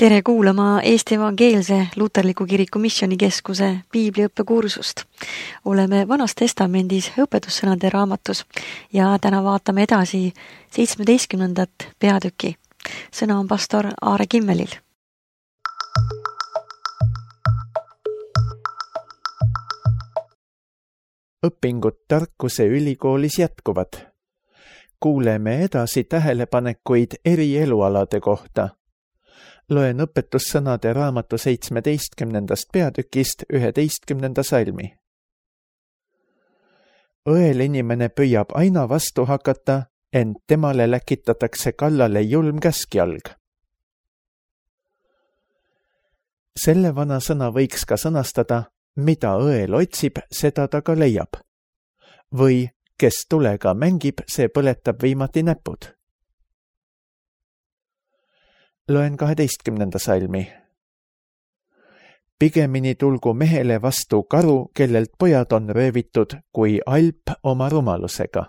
Tere kuulama Eesti Evangeelse Luterliku Kiriku Missioonikeskuse piibliõppekursust. Oleme Vanas Testamendis õpetussõnade raamatus ja täna vaatame edasi 17. peatüki. Sõna on pastor Aare Kimmelil. Õpingud tarkuse ülikoolis jätkuvad. Kuuleme edasi tähelepanekuid eri elualade kohta. Loen õpetussõnade raamatu 17. peatükist 11. salmi. Õel inimene püüab aina vastu hakata, ent temale läkitatakse kallale julm käskjalg. Selle vana sõna võiks ka sõnastada, mida õel otsib, seda ta ka leiab. Või kes tulega mängib, see põletab viimati näpud. Loen 12. salmi. Pigemini tulgu mehele vastu karu, kellelt pojad on röövitud, kui alp oma rumalusega.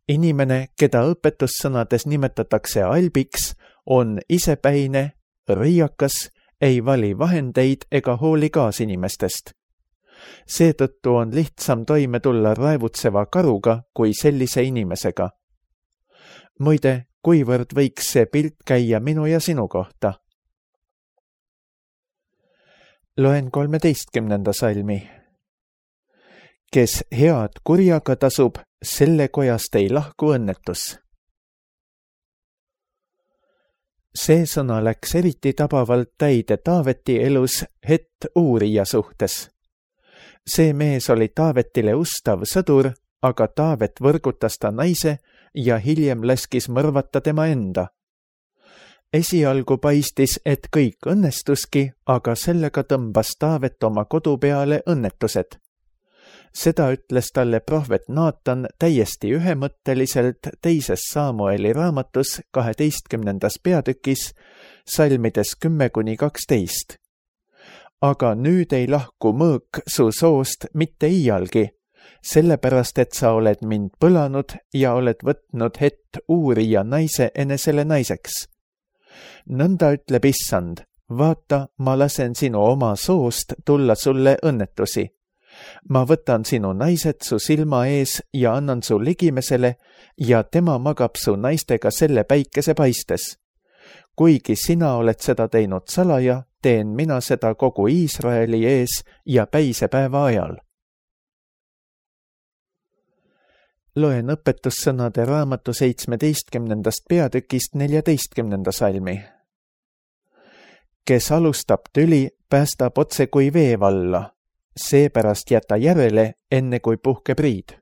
Inimene, keda õpetussõnades nimetatakse albiks, on isepäine, riiakas, ei vali vahendeid ega hooli kaasinimestest. Seetõttu on lihtsam toime tulla raevutseva karuga kui sellise inimesega. Muide, kuivõrd võiks see pilt käia minu ja sinu kohta? Loen 13. salmi. Kes head kurjaga tasub, selle kojast ei lahku õnnetus. See sõna läks eriti tabavalt täide Taaveti elus Het uurija suhtes. See mees oli Taavetile ustav sõdur, aga Taavet võrgutas ta naise ja hiljem laskis mõrvata tema enda. Esialgu paistis, et kõik õnnestuski, aga sellega tõmbas Taavet oma kodu peale õnnetused. Seda ütles talle prohvet Naatan täiesti ühemõtteliselt teises Samueli raamatus 12. peatükis, salmides 10-12. Aga nüüd ei lahku mõõk su soost mitte iialgi, sellepärast et sa oled mind põlanud ja oled võtnud Het uurija naise enesele naiseks. Nõnda ütleb Issand, vaata, ma lasen sinu oma soost tulla sulle õnnetusi. Ma võtan sinu naised su silma ees ja annan su ligimesele ja tema magab su naistega selle päikese paistes. Kuigi sina oled seda teinud salaja, teen mina seda kogu Iisraeli ees ja päisepäeva ajal. Loen õpetussõnade raamatu 17. peatükist 14. salmi. Kes alustab tüli, päästab otse kui vee valla. Seepärast jäta järele, enne kui puhkeb riid.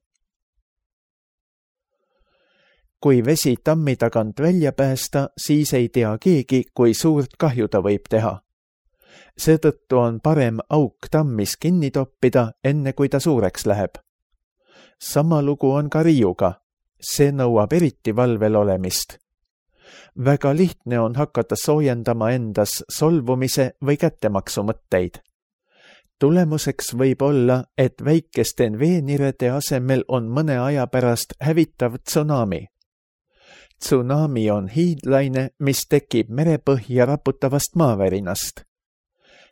Kui vesi tammi tagant välja päästa, siis ei tea keegi, kui suurt kahju ta võib teha. Seetõttu on parem auk tammis kinni toppida, enne kui ta suureks läheb. Sama lugu on ka riiuga. See nõuab eriti valvel olemist. Väga lihtne on hakata soojendama endas solvumise või kättemaksu mõtteid. Tulemuseks võib olla, et väikeste veenirede asemel on mõne aja pärast hävitav tsunami. Tsunami on hiidlaine, mis tekib merepõhja raputavast maavärinast.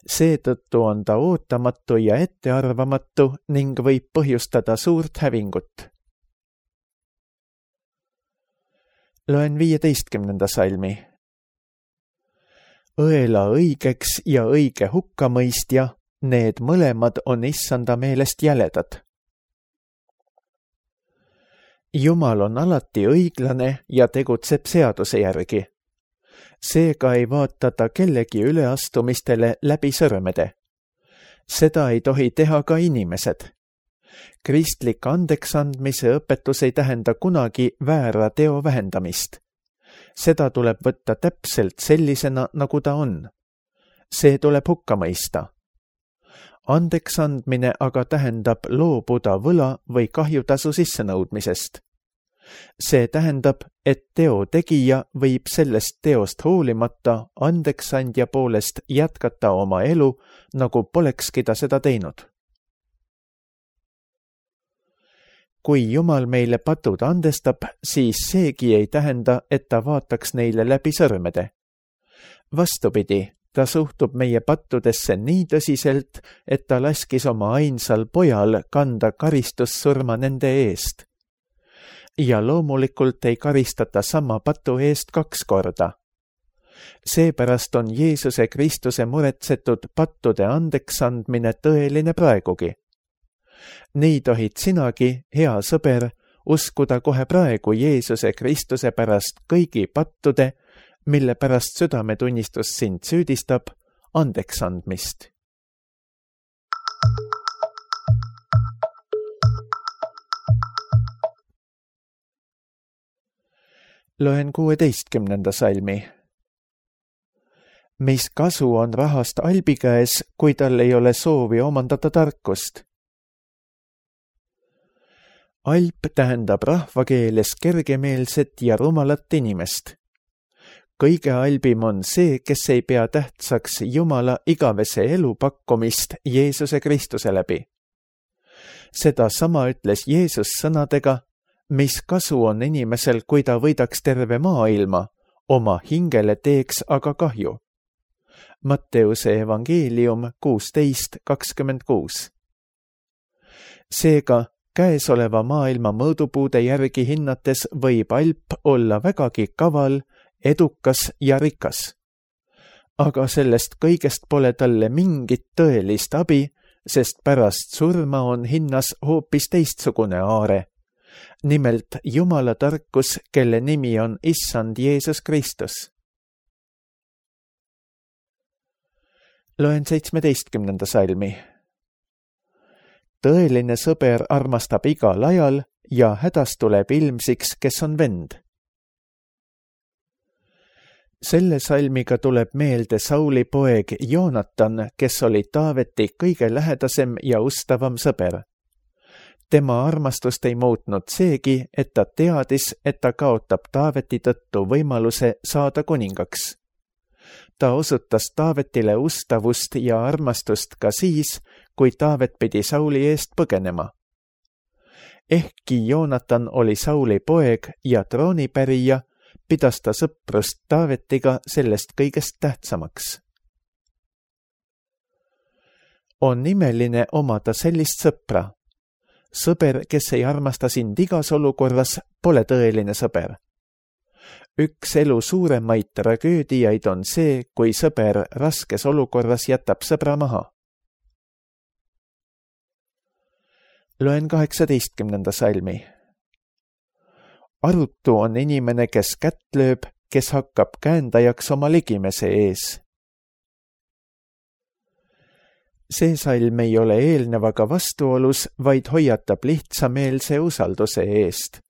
Seetõttu on ta ootamatu ja ettearvamatu ning võib põhjustada suurt hävingut. Loen 15. salmi. Õela õigeks ja õige hukkamõistja, need mõlemad on Issanda meelest jäledad. Jumal on alati õiglane ja tegutseb seaduse järgi. Seega ei vaata ta kellegi üleastumistele läbi sõrmede. Seda ei tohi teha ka inimesed. Kristlik andeksandmise õpetus ei tähenda kunagi väära teo vähendamist. Seda tuleb võtta täpselt sellisena, nagu ta on. See tuleb hukka mõista. Andeksandmine aga tähendab loobuda võla või kahjutasu sissenõudmisest. See tähendab, et teo tegija võib sellest teost hoolimata andeksandja poolest jätkata oma elu, nagu polekski ta seda teinud. kui Jumal meile patud andestab, siis seegi ei tähenda, et ta vaataks neile läbi sõrmede. Vastupidi, ta suhtub meie pattudesse nii tõsiselt, et ta laskis oma ainsal pojal kanda karistussurma nende eest. Ja loomulikult ei karistata sama patu eest 2 korda. Seepärast on Jeesuse Kristuse muretsetud pattude andeks andmine tõeline praegugi. Nii tohid sinagi, hea sõber, uskuda kohe praegu Jeesuse Kristuse pärast kõigi pattude, mille pärast südametunnistus sind süüdistab, andeks andmist. Loen 16. salmi. Mis kasu on rahast albi käes, kui tal ei ole soovi omandada tarkust? Alp tähendab rahvakeeles kergemeelset ja rumalat inimest. Kõige albim on see, kes ei pea tähtsaks Jumala igavese elu pakkumist Jeesuse Kristuse läbi. Seda sama ütles Jeesus sõnadega, mis kasu on inimesel, kui ta võidaks terve maailma, oma hingele teeks aga kahju. Matteuse evangeelium 16:26. Seega, käesoleva maailma mõõdupuude järgi hinnates võib alp olla vägagi kaval, edukas ja rikas. Aga sellest kõigest pole talle mingit tõelist abi, sest pärast surma on hinnas hoopis teistsugune aare. Nimelt Jumala tarkus, kelle nimi on Issand Jeesus Kristus. Loen 17. salmi. Tõeline sõber armastab igal ajal ja hädas tuleb ilmsiks, kes on vend. Selle salmiga tuleb meelde Sauli poeg Joonatan, kes oli Taaveti kõige lähedasem ja ustavam sõber. Tema armastust ei muutnud seegi, et ta teadis, et ta kaotab Taaveti tõttu võimaluse saada kuningaks. Ta osutas Taavetile ustavust ja armastust ka siis, kui Taavet pidi Sauli eest põgenema. Ehkki Joonatan oli Sauli poeg ja troonipärija, pidas ta sõprust Taavetiga sellest kõigest tähtsamaks. On imeline omada sellist sõpra. Sõber, kes ei armasta sind igas olukorras, pole tõeline sõber. Üks elu suuremaid tragöödiaid on see, kui sõber raskes olukorras jätab sõbra maha. Loen 18. salmi. Arutu on inimene, kes kätt lööb, kes hakkab käendajaks oma ligimese ees. See salm ei ole eelnevaga vastuolus, vaid hoiatab lihtsameelse usalduse eest.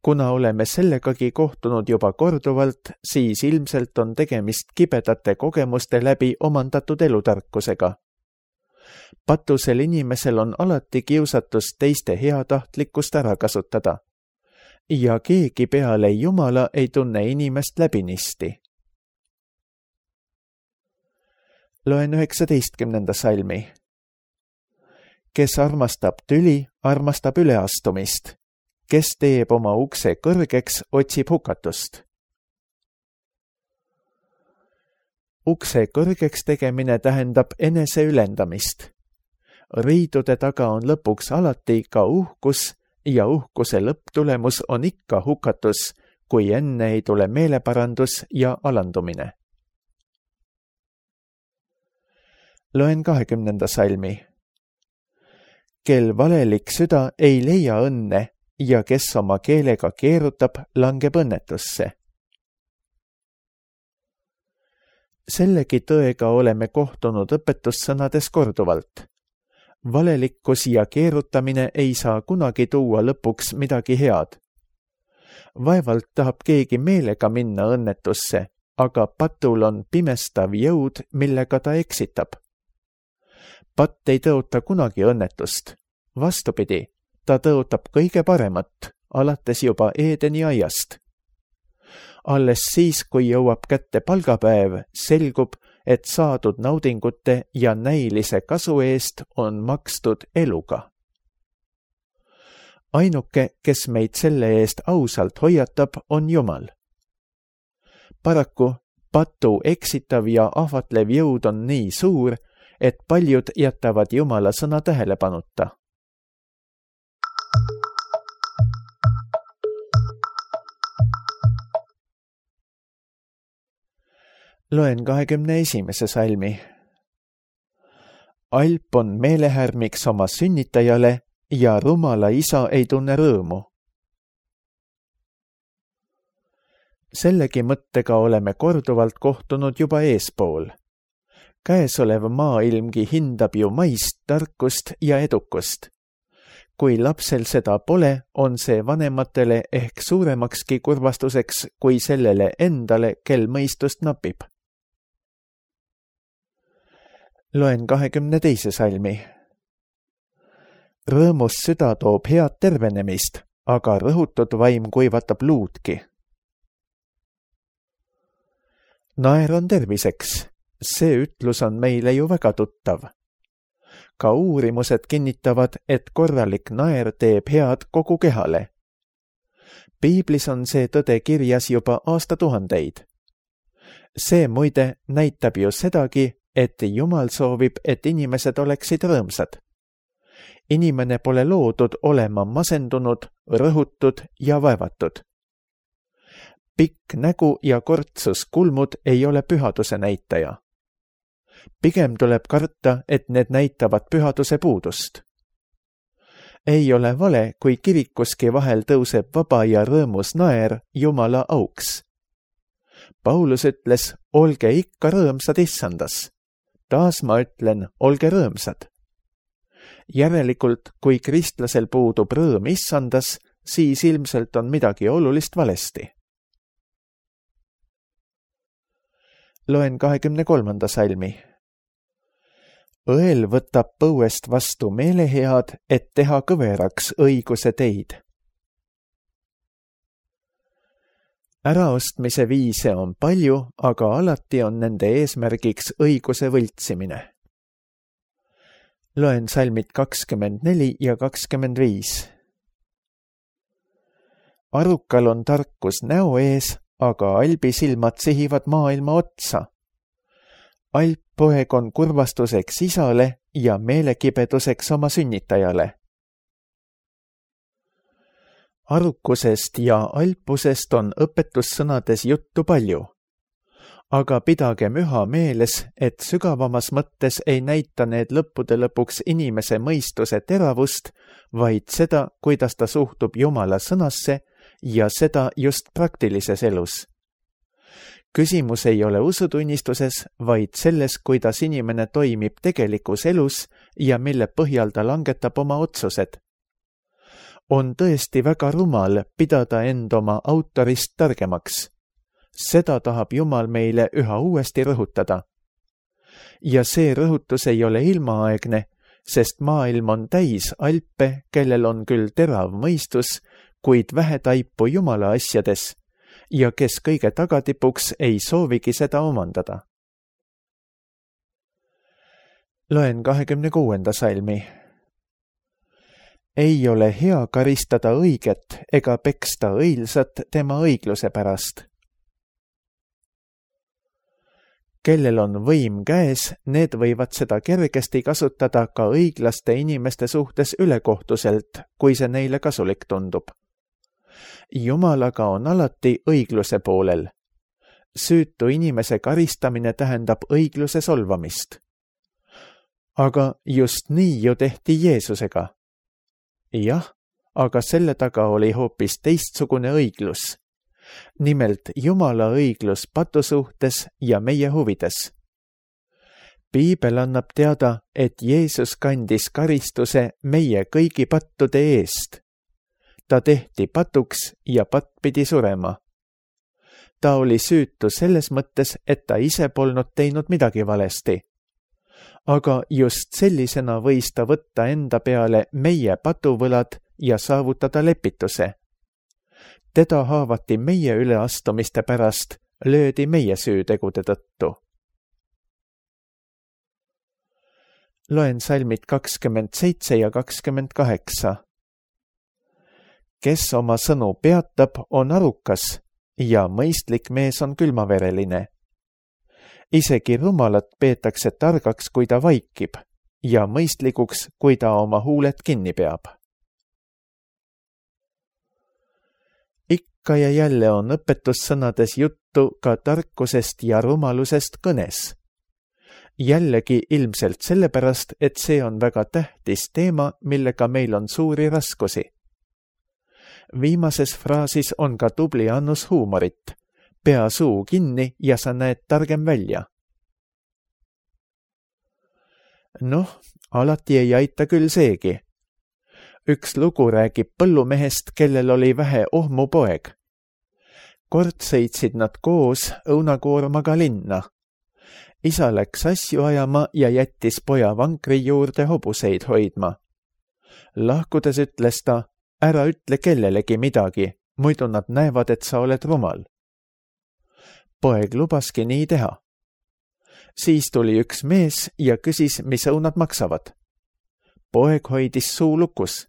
Kuna oleme sellegagi kohtunud juba korduvalt, siis ilmselt on tegemist kibedate kogemuste läbi omandatud elutarkusega. Patusel inimesel on alati kiusatus teiste heatahtlikkust ära kasutada. Ja keegi peale Jumala ei tunne inimest läbinisti. Loen 19. salmi. Kes armastab tüli, armastab üleastumist. Kes teeb oma ukse kõrgeks, otsib hukatust. Ukse kõrgeks tegemine tähendab enese ülendamist. Riidude taga on lõpuks alati ka uhkus ja uhkuse lõpptulemus on ikka hukatus, kui enne ei tule meeleparandus ja alandumine. Loen 20. salmi. Kel valelik süda ei leia õnne ja kes oma keelega keerutab, langeb õnnetusse. Sellegi tõega oleme kohtunud õpetussõnades korduvalt. Valelikkus ja keerutamine ei saa kunagi tuua lõpuks midagi head. Vaevalt tahab keegi meelega minna õnnetusse, aga patul on pimestav jõud, millega ta eksitab. Patt ei tõota kunagi õnnetust. Vastupidi, ta tõotab kõige paremat, alates juba Eedeni aiast. Alles siis, kui jõuab kätte palgapäev, selgub, et saadud naudingute ja näilise kasu eest on makstud eluga. ainuke, kes meid selle eest ausalt hoiatab, on Jumal. Paraku patu eksitav ja ahvatlev jõud on nii suur, et paljud jätavad Jumala sõna tähelepanuta. Loen 21. salmi. Alp on meelehärmiks oma sünnitajale ja rumala isa ei tunne rõõmu. Sellegi mõttega oleme korduvalt kohtunud juba eespool. Käesolev maailmgi hindab ju maist tarkust ja edukust. Kui lapsel seda pole, on see vanematele ehk suuremakski kurvastuseks kui sellele endale, kel mõistust napib. Loen 22. salmi. Rõõmus süda toob head tervenemist, aga rõhutud vaim kuivatab luudki. Naer on terviseks, see ütlus on meile ju väga tuttav. Ka uurimused kinnitavad, et korralik naer teeb head kogu kehale. Piiblis on see tõde kirjas juba aastatuhandeid. See muide näitab ju sedagi, et Jumal soovib, et inimesed oleksid rõõmsad. Inimene pole loodud olema masendunud, rõhutud ja vaevatud. Pikk nägu ja kortsus kulmud ei ole pühaduse näitaja. Pigem tuleb karta, et need näitavad pühaduse puudust. Ei ole vale, kui kirikuski vahel tõuseb vaba ja rõõmus naer Jumala auks. Paulus ütles, olge ikka rõõmsad issandas. Taas ma ütlen, olge rõõmsad. Järelikult, kui kristlasel puudub rõõm issandas, siis ilmselt on midagi olulist valesti. Loen 23. salmi. Õel võtab põuest vastu meelehead, et teha kõveraks õiguse teid. Äraostmise viise on palju, aga alati on nende eesmärgiks õiguse võltsimine. Loen salmid 24 ja 25. Arukal on tarkus näo ees, aga albi silmad sihivad maailma otsa. Alppoeg on kurvastuseks isale ja meelekibeduseks oma sünnitajale. Arukusest ja alpusest on õpetussõnades juttu palju. Aga pidagem üha meeles, et sügavamas mõttes ei näita need lõppude lõpuks inimese mõistuse teravust, vaid seda, kuidas ta suhtub Jumala sõnasse ja seda just praktilises elus. Küsimus ei ole usutunnistuses, vaid selles, kuidas inimene toimib tegelikus elus ja mille põhjal ta langetab oma otsused. On tõesti väga rumal pidada end oma autorist targemaks. Seda tahab Jumal meile üha uuesti rõhutada. Ja see rõhutus ei ole ilmaaegne, sest maailm on täis alpe, kellel on küll terav mõistus, kuid vähe taipu Jumala asjades ja kes kõige tagatipuks ei soovigi seda omandada. Loen 26. salmi. Ei ole hea karistada õiget ega peksta õilsat tema õigluse pärast. Kellel on võim käes, need võivad seda kergesti kasutada ka õiglaste inimeste suhtes ülekohtuselt, kui see neile kasulik tundub. Jumal aga on alati õigluse poolel. Süütu inimese karistamine tähendab õigluse solvamist. Aga just nii ju tehti Jeesusega. Jah, aga selle taga oli hoopis teistsugune õiglus. Nimelt Jumala õiglus patu suhtes ja meie huvides. Piibel annab teada, et Jeesus kandis karistuse meie kõigi pattude eest. Ta tehti patuks ja patt pidi surema. Ta oli süütu selles mõttes, et ta ise polnud teinud midagi valesti. Aga just sellisena võis ta võtta enda peale meie patuvõlad ja saavutada lepituse. Teda haavati meie üleastumiste pärast, löödi meie süütegude tõttu. Loen salmid 27 ja 28. kes oma sõnu peatab, on arukas ja mõistlik mees on külmavereline. Isegi rumalat peetakse targaks, kui ta vaikib ja mõistlikuks, kui ta oma huuled kinni peab. Ikka ja jälle on õpetussõnades juttu ka tarkusest ja rumalusest kõnes. Jällegi ilmselt sellepärast, et see on väga tähtis teema, millega meil on suuri raskusi. Viimases fraasis on ka tubli annus huumorit. Pea suu kinni ja sa näed targem välja. Alati ei aita küll seegi. Üks lugu räägib põllumehest, kellel oli vähe ohmupoeg. Kord sõitsid nad koos õunakoormaga linna. Isa läks asju ajama ja jättis poja vankri juurde hobuseid hoidma. Lahkudes ütles ta, ära ütle kellelegi midagi, muidu nad näevad, et sa oled rumal. Poeg lubaski nii teha. Siis tuli üks mees ja küsis, mis õunad maksavad. Poeg hoidis suu lukus.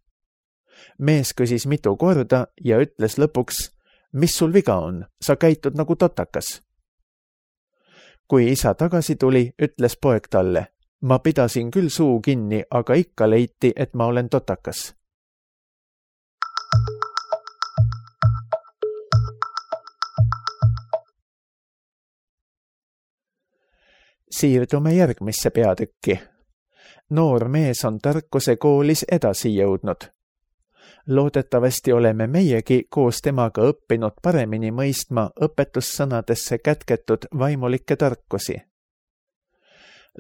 Mees küsis mitu korda ja ütles lõpuks, mis sul viga on, sa käitud nagu totakas. Kui isa tagasi tuli, ütles poeg talle, ma pidasin küll suu kinni, aga ikka leiti, et ma olen totakas. Siirdume järgmisse peatükki. Noor mees on tarkuse koolis edasi jõudnud. Loodetavasti oleme meiegi koos temaga õppinud paremini mõistma õpetussõnadesse kätketud vaimulikke tarkusi.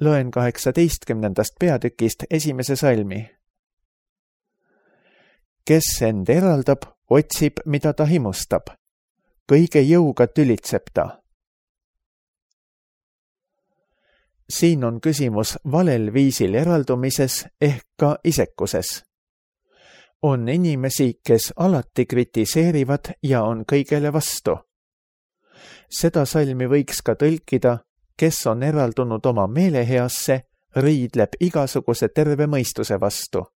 Loen 18. peatükist 1. salmi. Kes end eraldab, otsib, mida ta himustab. Kõige jõuga tülitseb ta. Siin on küsimus valel viisil eraldumises ehk ka isekuses. On inimesi, kes alati kritiseerivad ja on kõigele vastu. Seda salmi võiks ka tõlkida, kes on eraldunud oma meeleheasse, riidleb igasuguse terve mõistuse vastu.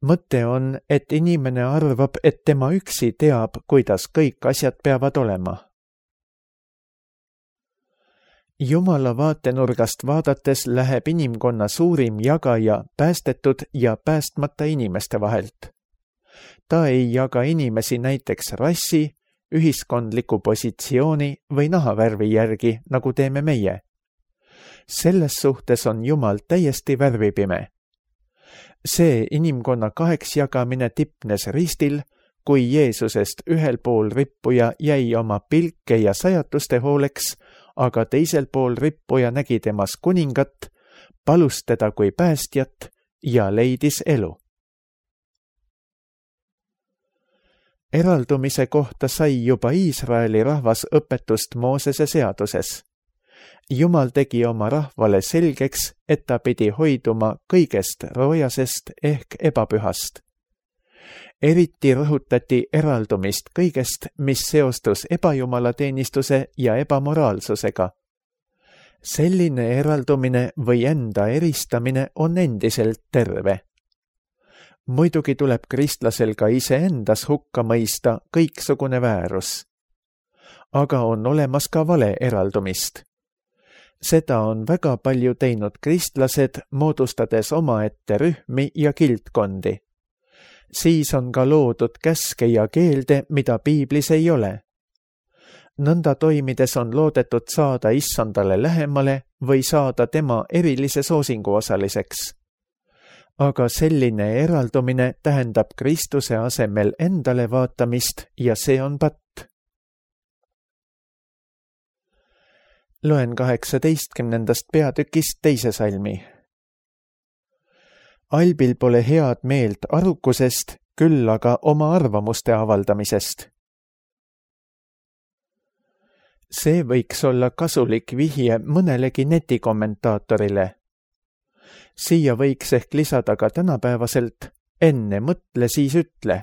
Mõte on, et inimene arvab, et tema üksi teab, kuidas kõik asjad peavad olema. Jumala vaatenurgast vaadates läheb inimkonna suurim jagaja päästetud ja päästmata inimeste vahelt. Ta ei jaga inimesi näiteks rassi, ühiskondliku positsiooni või nahavärvi järgi, nagu teeme meie. Selles suhtes on Jumal täiesti värvipime. See inimkonna kaheks jagamine tipnes ristil, kui Jeesusest ühel pool rippuja jäi oma pilke ja sajatuste hooleks, aga teisel pool rippuja nägi temas kuningat, palus teda kui päästjat ja leidis elu. Eraldumise kohta sai juba Iisraeli rahvas õpetust Moosese seaduses. Jumal tegi oma rahvale selgeks, et ta pidi hoiduma kõigest roojasest ehk ebapühast. Eriti rõhutati eraldumist kõigest, mis seostus ebajumalateenistuse ja ebamoraalsusega. Selline eraldumine või enda eristamine on endiselt terve. Muidugi tuleb kristlasel ka iseendas hukka mõista kõiksugune väärus. Aga on olemas ka vale eraldumist. Seda on väga palju teinud kristlased, moodustades omaette rühmi ja kildkondi. Siis on ka loodud käske ja keelde, mida piiblis ei ole. Nõnda toimides on loodetud saada issandale lähemale või saada tema erilise soosingu osaliseks. Aga selline eraldumine tähendab Kristuse asemel endale vaatamist ja see on patt. Loen 18. peatükist 2. salmi. Albil pole head meelt arukusest, küll aga oma arvamuste avaldamisest. See võiks olla kasulik vihje mõnelegi netikommentaatorile. Siia võiks ehk lisada ka tänapäevaselt, enne mõtle, siis ütle.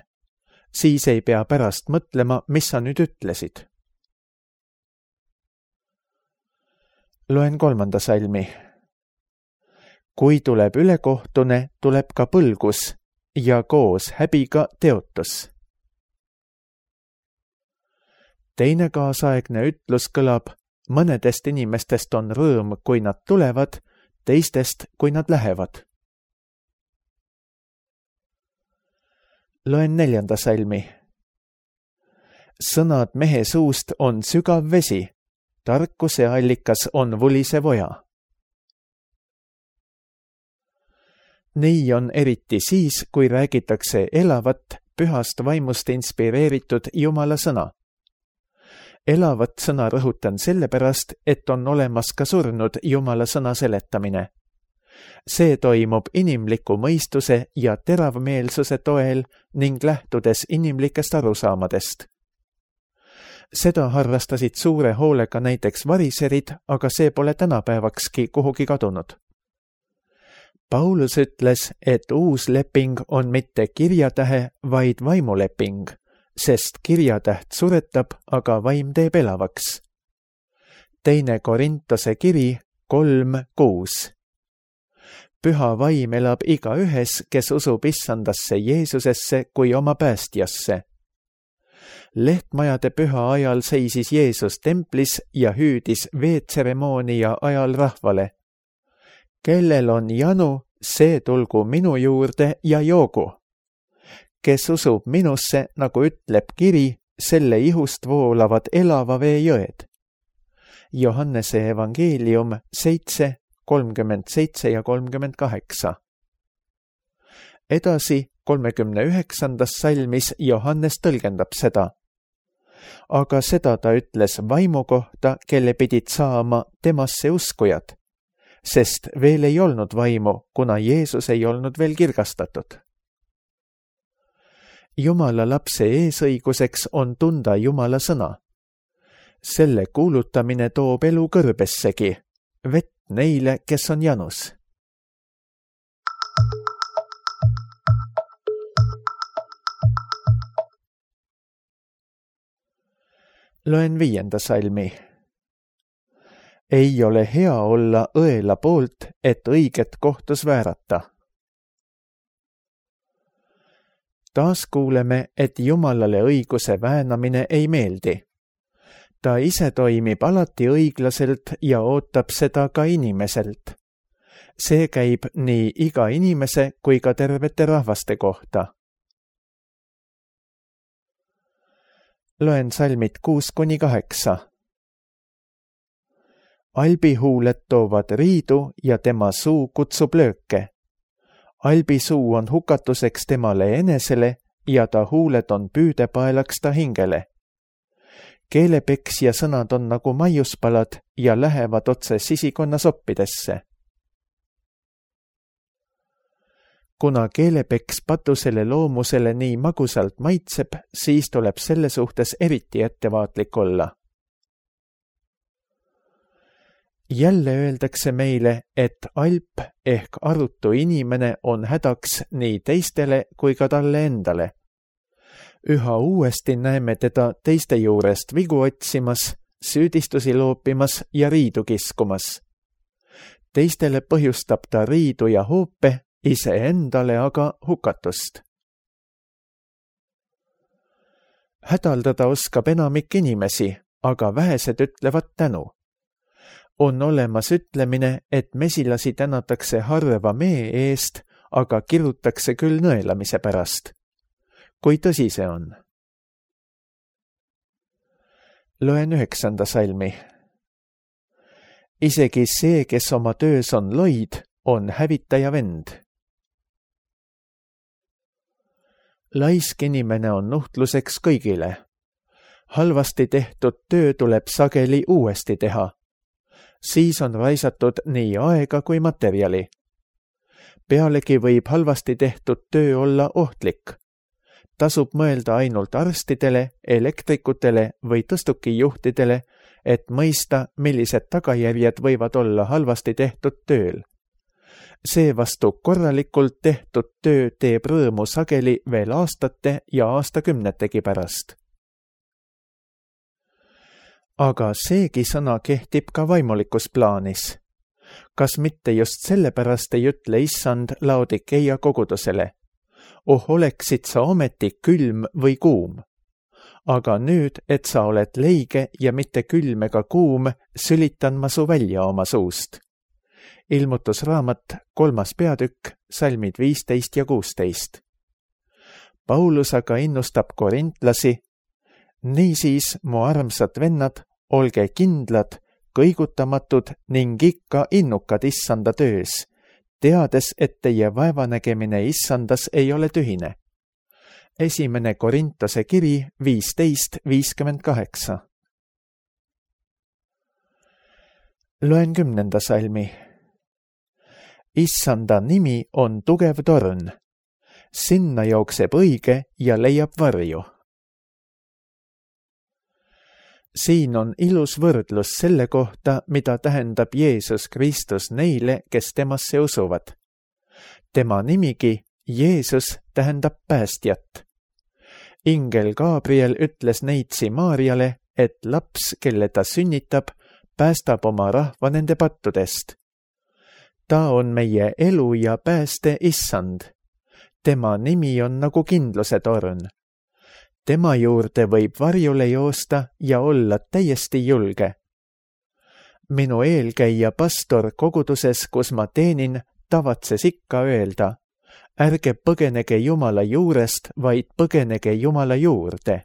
Siis ei pea pärast mõtlema, mis sa nüüd ütlesid. Loen 3. salmi. Kui tuleb ülekohtune, tuleb ka põlgus ja koos häbiga teotus. Teine kaasaegne ütlus kõlab: mõnedest inimestest on rõõm, kui nad tulevad, teistest, kui nad lähevad. Loen 4. salmi. Sõnad mehe suust on sügav vesi, tarkuse allikas on vulisev oja. Nii on eriti siis, kui räägitakse elavat, pühast vaimust inspireeritud Jumala sõna. Elavat sõna rõhutan sellepärast, et on olemas ka surnud Jumala sõna seletamine. See toimub inimliku mõistuse ja teravmeelsuse toel ning lähtudes inimlikest arusaamadest. Seda harrastasid suure hoolega näiteks variserid, aga see pole tänapäevakski kuhugi kadunud. Paulus ütles, et uus leping on mitte kirjatähe, vaid vaimuleping, sest kirjatäht suretab, aga vaim teeb elavaks. 2. Korintose kiri 3:6. Püha vaim elab igaühes, kes usub issandasse Jeesusesse kui oma päästjasse. Lehtmajade püha ajal seisis Jeesus templis ja hüüdis veetseremoonia ajal rahvale: kellel on janu, see tulgu minu juurde ja joogu. Kes usub minusse, nagu ütleb kiri, selle ihust voolavad elava vee jõed. Johannese evangeelium 7:37 ja 38. Edasi 39. salmis Johannes tõlgendab seda. Aga seda ta ütles vaimu kohta, kelle pidid saama temasse uskujad, sest veel ei olnud vaimu, kuna Jeesus ei olnud veel kirgastatud. Jumala lapse eesõiguseks on tunda Jumala sõna. Selle kuulutamine toob elu kõrbessegi, vett neile, kes on janus. Loen 5. salmi. Ei ole hea olla õela poolt, et õiget kohtus väärata. Taas kuuleme, et Jumalale õiguse väänamine ei meeldi. Ta ise toimib alati õiglaselt ja ootab seda ka inimeselt. See käib nii iga inimese kui ka tervete rahvaste kohta. Loen salmid 6-8. Albihuuled toovad riidu ja tema suu kutsub lööke. Albi suu on hukatuseks temale enesele ja ta huuled on püüdepaelaks ta hingele. Keelepeksja sõnad on nagu maiuspalad ja lähevad otse sisikonna soppidesse. Kuna keelepeks patusele loomusele nii magusalt maitseb, siis tuleb selle suhtes eriti ettevaatlik olla. Jälle öeldakse meile, et alp ehk arutu inimene on hädaks nii teistele kui ka talle endale. Üha uuesti näeme teda teiste juurest vigu otsimas, süüdistusi loopimas ja riidu kiskumas. Teistele põhjustab ta riidu ja hoope, iseendale aga hukatust. Hädaldada oskab enamik inimesi, aga vähesed ütlevad tänu. On olemas ütlemine, et mesilasi tänatakse harva mee eest, aga kirutakse küll nõelamise pärast. Kui tõsi see on? Loen 9. salmi. Isegi see, kes oma töös on loid, on hävitaja vend. Laisk inimene on nuhtluseks kõigile. Halvasti tehtud töö tuleb sageli uuesti teha. Siis on raisatud nii aega kui materjali. Pealegi võib halvasti tehtud töö olla ohtlik. Tasub mõelda ainult arstidele, elektrikutele või tõstukijuhtidele, et mõista, millised tagajärjed võivad olla halvasti tehtud tööl. Seevastu korralikult tehtud töö teeb rõõmu sageli veel aastate ja aastakümnetegi pärast. Aga seegi sõna kehtib ka vaimulikus plaanis. Kas mitte just sellepärast ei ütle issand Laodikeia kogudusele: oh, oleksid sa ometi külm või kuum. aga nüüd, et sa oled leige ja mitte külm ega kuum, sülitan ma su välja oma suust. Ilmutusraamat 3. peatükk, salmid 15 ja 16. Paulus aga innustab korintlasi: niisiis, mu armsad vennad, olge kindlad, kõigutamatud ning ikka innukad issanda töös, teades, et teie vaevanägemine issandas ei ole tühine. 1. Korintuse kiri 15:58. Loen 10. salmi. Issanda nimi on tugev torn. Sinna jookseb õige ja leiab varju. Siin on ilus võrdlus selle kohta, mida tähendab Jeesus Kristus neile, kes temasse usuvad. Tema nimigi, Jeesus, tähendab päästjat. Ingel Gabriel ütles neitsi Maarjale, et laps, kelle ta sünnitab, päästab oma rahva nende pattudest. Ta on meie elu ja pääste issand. Tema nimi on nagu kindluse torn. Tema juurde võib varjule joosta ja olla täiesti julge. Minu eelkäija pastor koguduses, kus ma teenin, tavatses ikka öelda: ärge põgenege Jumala juurest, vaid põgenege Jumala juurde.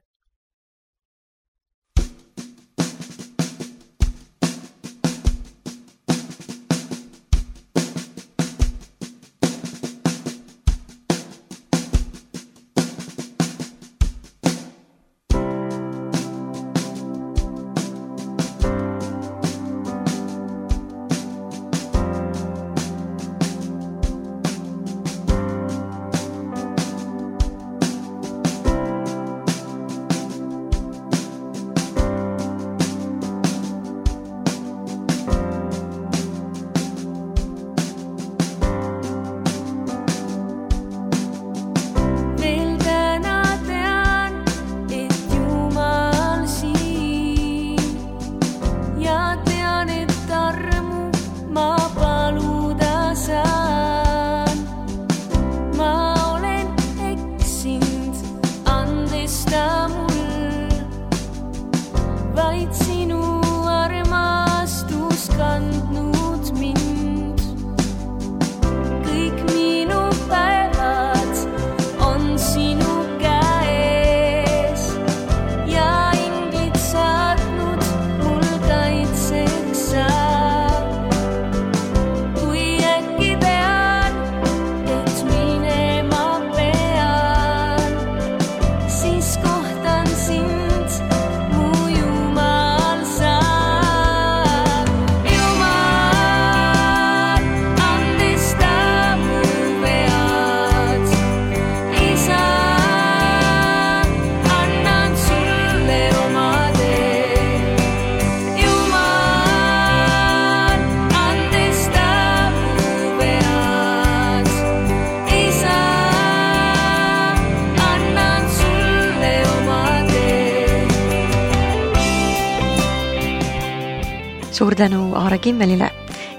Suur tänu Aare Kimmelile.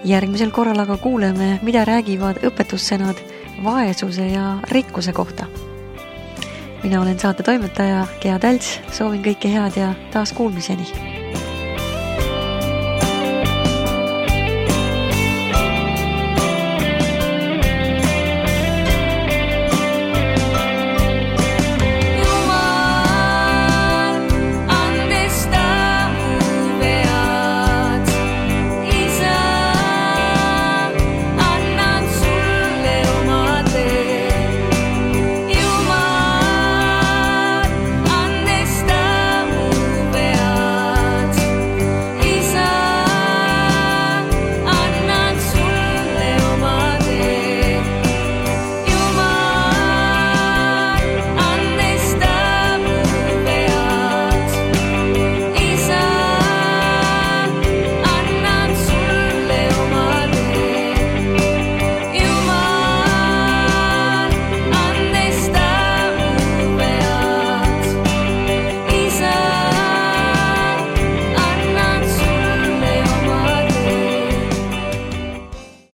Järgmisel korral aga kuuleme, mida räägivad õpetussõnad vaesuse ja rikkuse kohta. Mina olen saate toimetaja Gea Tälts, soovin kõike head ja taas kuulmiseni.